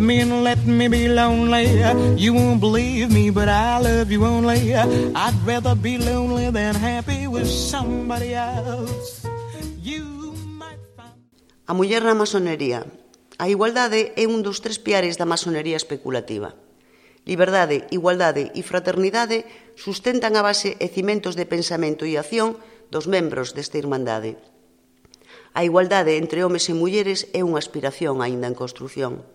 me and let me be lonely. You won't believe me, but I love you only. I'd rather be lonely than happy with somebody else. You might find... A muller na masonería. A igualdade é un dos 3 piares da masonería especulativa. Liberdade, igualdade e fraternidade sustentan a base e cimentos de pensamento e acción dos membros desta irmandade. A igualdade entre homes e mulleres é unha aspiración aínda en construción.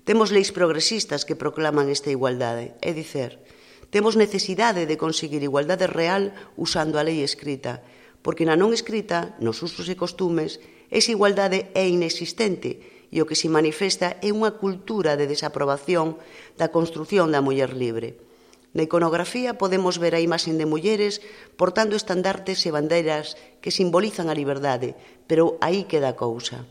Temos leis progresistas que proclaman esta igualdade, é dicer, temos necesidade de conseguir igualdade real usando a lei escrita, porque na non escrita, nos usos e costumes, esa igualdade é inexistente e o que se manifesta é unha cultura de desaprobación da construción da muller libre. Na iconografía podemos ver a imaxe de mulleres portando estandartes e bandeiras que simbolizan a liberdade, pero aí queda a cousa.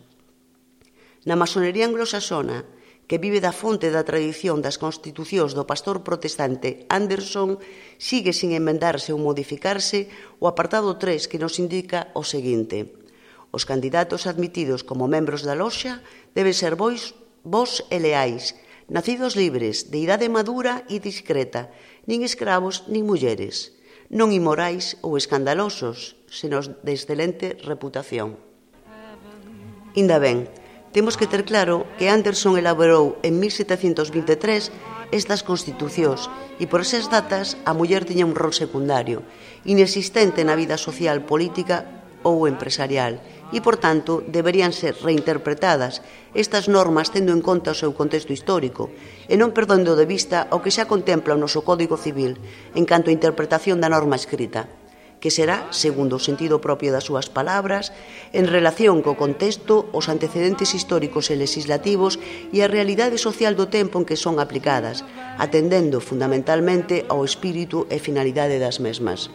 Na masonería anglosaxona, que vive da fonte da tradición das constitucións do pastor protestante Anderson, sigue sin enmendarse ou modificarse o apartado 3 que nos indica o seguinte: os candidatos admitidos como membros da loxa deben ser vós e leais, nacidos libres, de idade madura e discreta, nin escravos nin mulleres, non inmorais ou escandalosos, senón de excelente reputación. Inda ben, temos que ter claro que Anderson elaborou en 1723 estas constitucións e por esas datas a muller tiña un rol secundario, inexistente na vida social, política ou empresarial, e, por tanto, deberían ser reinterpretadas estas normas tendo en conta o seu contexto histórico e non perdendo de vista o que xa contempla o noso Código Civil en canto a interpretación da norma escrita, que será, segundo o sentido propio das súas palabras, en relación co contexto, os antecedentes históricos e legislativos e a realidade social do tempo en que son aplicadas, atendendo fundamentalmente ao espírito e finalidade das mesmas.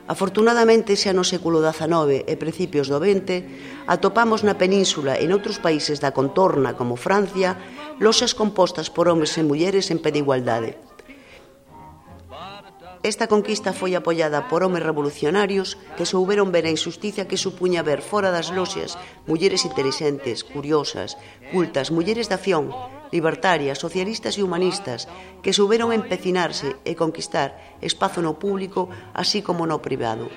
Afortunadamente, xa no século XIX e principios do XX, atopamos na península e noutros países da contorna, como Francia, loxas compostas por homes e mulleres en pé de igualdade. Esta conquista foi apoiada por homes revolucionarios que souberon ver a injusticia que supuña ver fora das loxas mulleres intelixentes, curiosas, cultas, mulleres de acción, libertarias, socialistas e humanistas, que souberon empecinarse e conquistar espazo no público así como no privado.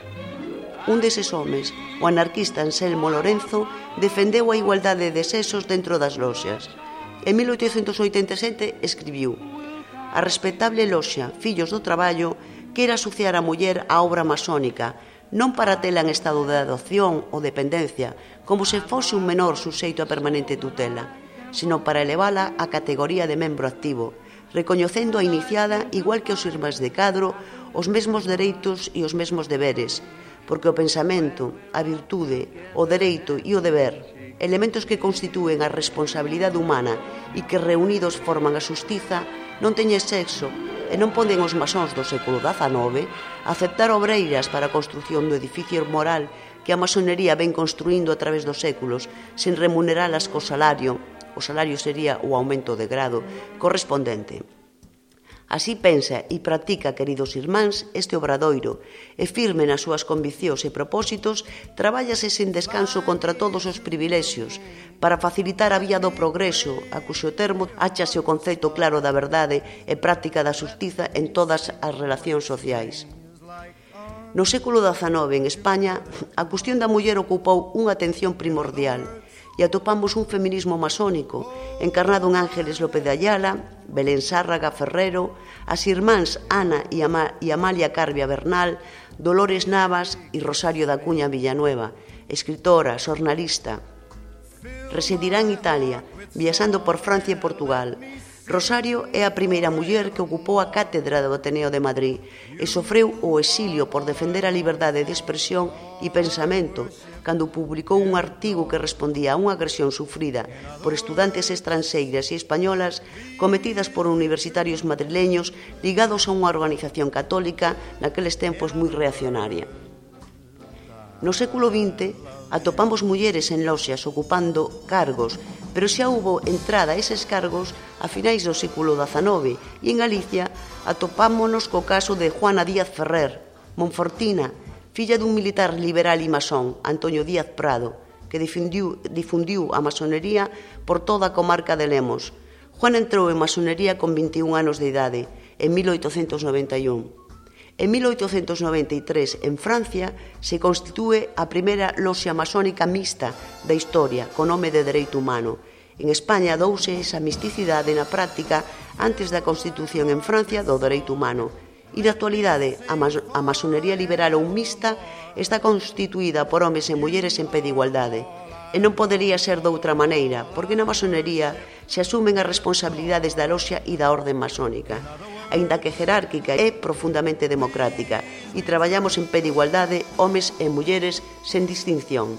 Un deses homes, o anarquista Anselmo Lorenzo, defendeu a igualdade de sexos dentro das loxas. En 1887 escribiu: a respetable loxa Fillos do Traballo quere asociar a muller á obra masónica, non para tela en estado de adopción ou dependencia, como se fose un menor suxeito a permanente tutela, sino para elevala á categoría de membro activo, recoñecendo a iniciada, igual que os irmáns de cadro, os mesmos dereitos e os mesmos deberes, porque o pensamento, a virtude, o dereito e o deber, elementos que constitúen a responsabilidade humana e que reunidos forman a xustiza, non teñen sexo e non poden os masóns do século XIX aceptar obreiras para a construción do edificio moral que a masonería ven construindo a través dos séculos sen remuneralas co salario. O salario sería o aumento de grado correspondente. Así pensa e practica, queridos irmáns, este obradoiro, e firme nas súas conviccións e propósitos, trabállase sen descanso contra todos os privilexios, para facilitar a vía do progreso, a cuxo termo áchase o conceito claro da verdade e práctica da xustiza en todas as relacións sociais. No século XIX, en España, a cuestión da muller ocupou unha atención primordial, e atopamos un feminismo masónico encarnado en Ángeles López de Ayala, Belén Sárraga Ferrero, as irmáns Ana e Amalia Carbia Bernal, Dolores Navas e Rosario da Cuña Villanueva, escritora, xornalista. Residirá en Italia, viaxando por Francia e Portugal. Rosario é a primeira muller que ocupou a cátedra do Ateneo de Madrid e sofreu o exilio por defender a liberdade de expresión e pensamento cando publicou un artigo que respondía a unha agresión sufrida por estudantes estranxeiras e españolas cometidas por universitarios madrileños ligados a unha organización católica naqueles tempos moi reaccionaria. No século XX atopamos mulleres en loxas ocupando cargos, pero xa hubo entrada a eses cargos a finais do século XIX e en Galicia atopámonos co caso de Juana Díaz Ferrer, monfortina, filla dun militar liberal e masón, Antonio Díaz Prado, que difundiu a masonería por toda a comarca de Lemos. Juan entrou en masonería con 21 anos de idade, en 1891. En 1893, en Francia, se constitúe a primeira loxia masónica mixta da historia, con nome de Dereito Humano. En España douse esa misticidade na práctica antes da constitución en Francia do Dereito Humano. E na actualidade, a masonería liberal ou mixta está constituída por homes e mulleres en pé de igualdade. E non podería ser doutra maneira, porque na masonería se asumen as responsabilidades da loxia e da orde masónica. Aínda que jerárquica, é profundamente democrática e traballamos en pé de igualdade, homes e mulleres, sen distinción.